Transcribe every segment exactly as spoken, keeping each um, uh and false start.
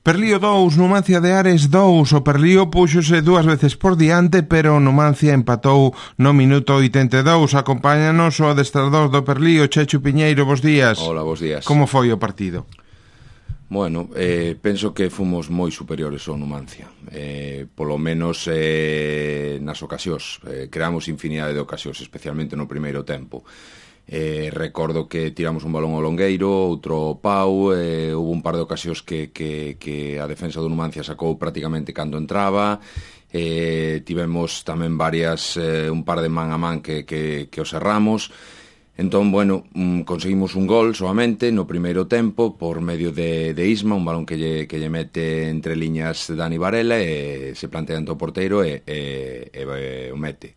Perlío dous, Numancia de Ares dous. O Perlío púxose dúas veces por diante, pero o Numancia empatou no minuto oitenta e dous. Acompáñanos o adestrador do Perlío, Chechu Piñeiro, bos días. Hola, bos días. Como foi o partido? Bueno, eh, penso que fomos moi superiores ao Numancia, eh, polo menos eh, nas ocasións, eh, creamos infinidade de ocasións, especialmente no primeiro tempo. Eh, recordo que tiramos un balón ao longueiro, outro ao pau, eh, houve un par de ocasións que, que, que a defensa do Numancia sacou prácticamente cando entraba, eh, tivemos tamén varias, eh, un par de man a man que, que, que os erramos. Entón, bueno, conseguimos un gol solamente no primeiro tempo por medio de, de Isma, un balón que lle, que lle mete entre liñas Dani Varela e se plantea ante o porteiro e, e, e, e o mete.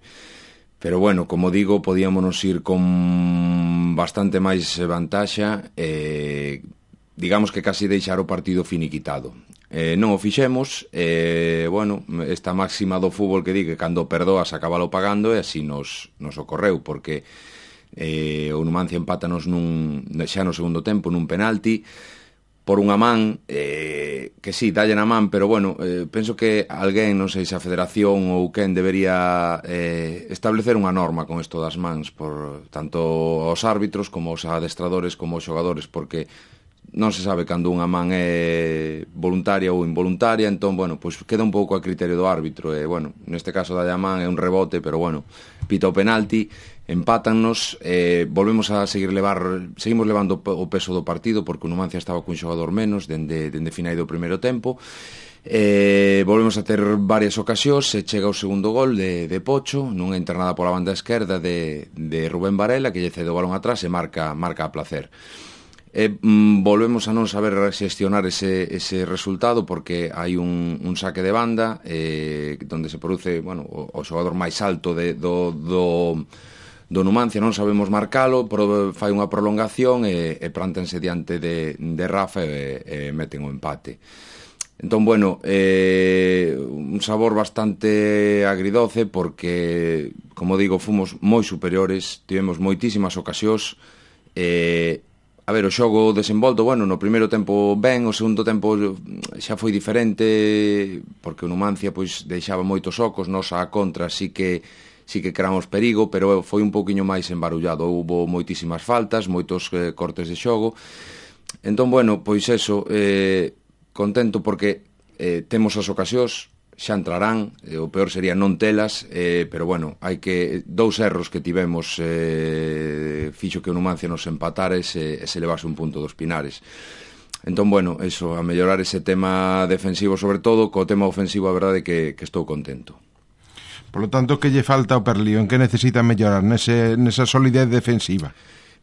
Pero bueno, como digo, podíamonos ir con bastante máis vantaxa e digamos que casi deixar o partido finiquitado. Eh, non o fixemos, e, bueno, esta máxima do fútbol que di que cando perdoas acabalo pagando e así nos, nos ocorreu, porque eh, o Numancia empátanos nun, xa no segundo tempo nun penalti por unha man, eh, que sí, dalle na man, pero bueno, eh, penso que alguén, non sei se a Federación ou quen debería eh, establecer unha norma con isto das mans, por tanto aos árbitros como aos adestradores como aos xogadores, porque non se sabe cando unha man é voluntaria ou involuntaria, entón, bueno, pois queda un pouco a criterio do árbitro, e, bueno, neste caso dalle a man é un rebote, pero, bueno, pita o penalti, empátannos, eh, volvemos a seguir levar, seguimos levando o peso do partido, porque o Numancia estaba cun xogador menos, dende, dende final do primeiro tempo, eh, volvemos a ter varias ocasións, e chega o segundo gol de, de Pocho, nunha internada pola banda esquerda de, de Rubén Varela, que lle cede o balón atrás e marca, marca a placer. E, mm, volvemos a non saber xestionar ese, ese resultado, porque hai un, un saque de banda eh, donde se produce, bueno, o, o xogador máis alto de, do, do, do Numancia, non sabemos marcalo, pero fai unha prolongación e, e plántense diante de, de Rafa e, e meten o empate. Entón, bueno, eh, un sabor bastante agridoce, porque, como digo, fomos moi superiores, tivemos moitísimas ocasións, e eh, a ver, o xogo desenvolto, bueno, no primeiro tempo ben, o segundo tempo xa foi diferente, porque o Numancia pois deixaba moitos ocos, nos a contra sí que sí que creamos perigo, pero foi un pouquiño máis embarullado, houbo moitísimas faltas, moitos eh, cortes de xogo. Entón, bueno, pois eso, eh, contento porque eh, temos as ocasións, xa entrarán, eh, o peor sería non telas, eh, pero bueno, hai que dous erros que tivemos eh, fixo que o Numancia nos empatara e se, e se levase un punto dos Pinares. Entón, bueno, eso, a mellorar ese tema defensivo sobre todo, co tema ofensivo a verdade que, que estou contento. Por lo tanto, que lle falta ao Perlío? En que necesita mellorar nese, nesa solidez defensiva?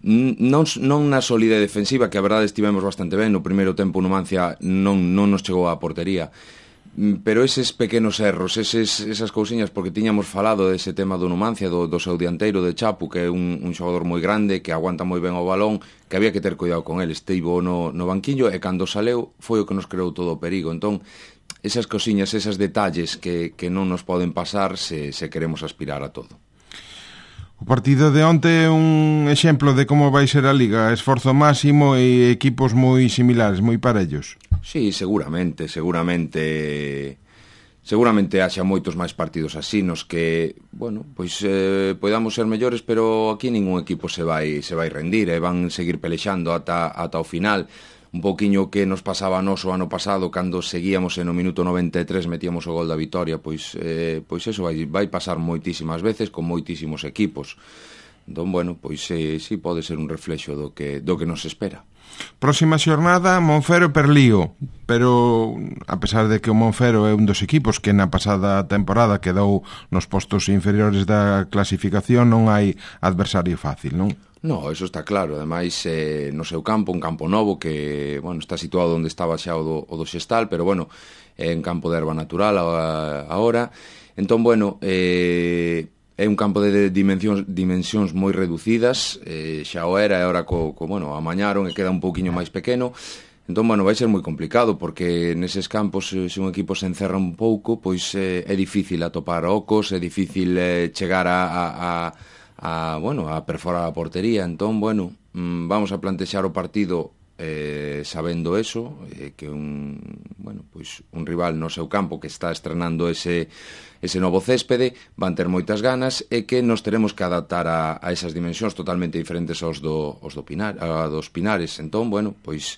Non, non na solidez defensiva, que a verdade estivemos bastante ben, no primeiro tempo o Numancia non, non nos chegou á portería, pero eses pequenos erros, eses, esas cousiñas, porque tiñamos falado dese tema do Numancia, do, do seu dianteiro de Chapu, que é un, un xogador moi grande, que aguanta moi ben o balón, que había que ter cuidado con ele. Estivo no, no banquiño e cando saleu foi o que nos creou todo o perigo. Entón, esas cousiñas, esas detalles que, que non nos poden pasar se, se queremos aspirar a todo. O partido de onte é un exemplo de como vai ser a Liga, esforzo máximo e equipos moi similares, moi parellos. Sí, seguramente, seguramente seguramente haxa moitos máis partidos así nos que, bueno, pois eh, podamos ser mellores, pero aquí ningún equipo se vai se vai rendir, e eh, van seguir pelexando ata ata o final. Un pouquiño que nos pasaba a nos o ano pasado, cando seguíamos e no minuto noventa e tres metíamos o gol da vitoria, pois eh, pois eso vai, vai pasar moitísimas veces con moitísimos equipos. Entón, bueno, pois eh, sí pode ser un reflexo do que, do que nos espera. Próxima xornada, Monfero e Perlío, pero a pesar de que o Monfero é un dos equipos que na pasada temporada quedou nos postos inferiores da clasificación, non hai adversario fácil, non? No, eso está claro, ademais eh, no seu campo, un campo novo que, bueno, está situado onde estaba xa o do, o do Xestal, pero bueno, é un campo de erva natural agora. Entón, bueno, eh, é un campo de dimensións, dimensións moi reducidas, eh, xa o era, e agora co, co, bueno, amañaron e queda un pouquiño máis pequeno. Entón, bueno, vai ser moi complicado, porque neses campos, se un equipo se encerra un pouco, pois eh, é difícil atopar ocos, é difícil eh, chegar a... a, a a, bueno, a perforar a portería. Entón, bueno, mmm, vamos a plantexar o partido eh, sabendo eso, eh, que un, bueno, pois un rival no seu campo que está estrenando ese, ese novo céspede, van ter moitas ganas e que nos teremos que adaptar a, a esas dimensións totalmente diferentes aos, do, aos do Pinar, a dos Pinares. Entón, bueno, pois,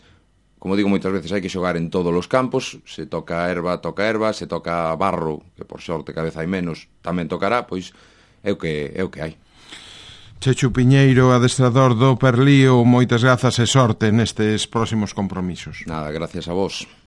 como digo moitas veces, hai que xogar en todos os campos, se toca erva, toca erva, se toca barro, que por sorte cada vez hai menos, tamén tocará, pois é o que, é o que hai. Chechu Piñeiro, adestrador do Perlío, moitas grazas e sorte nestes próximos compromisos. Nada, gracias a vos.